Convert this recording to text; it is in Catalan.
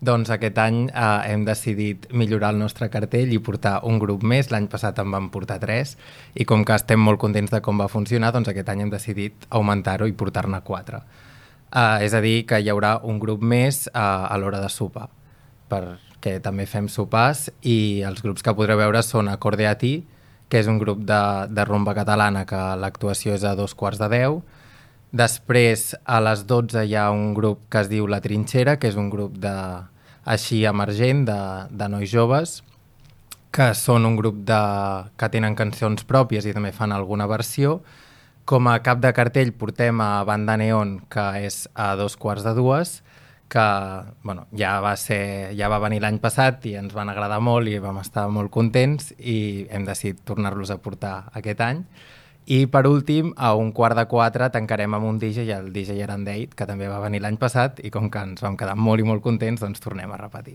Doncs aquest any hem decidit millorar el nostre cartell i portar un grup més. L'any passat en vam portar 3 i com que estem molt contents de com va funcionar, doncs aquest any hem decidit augmentar-ho i portar-ne 4. És a dir, que hi haurà un grup més a l'hora de sopar, perquè també fem sopars i els grups que podreu veure són Acorde a ti, que és un grup de rumba catalana que l'actuació és a 2:15. Després, a les 12 hi ha un grup que es diu La Trinxera, que és un grup així emergent de nois joves, que són un grup que tenen cançons pròpies i també fan alguna versió. Com a cap de cartell portem a Banda Neon, que és a 2:15, que bueno, ja va venir l'any passat i ens van agradar molt i vam estar molt contents i hem decidit tornar-los a portar aquest any. I per últim, a 3:15 tancarem amb un DJ, el DJ Arandeit, que també va venir l'any passat i com que ens vam quedar molt i molt contents, doncs tornem a repetir.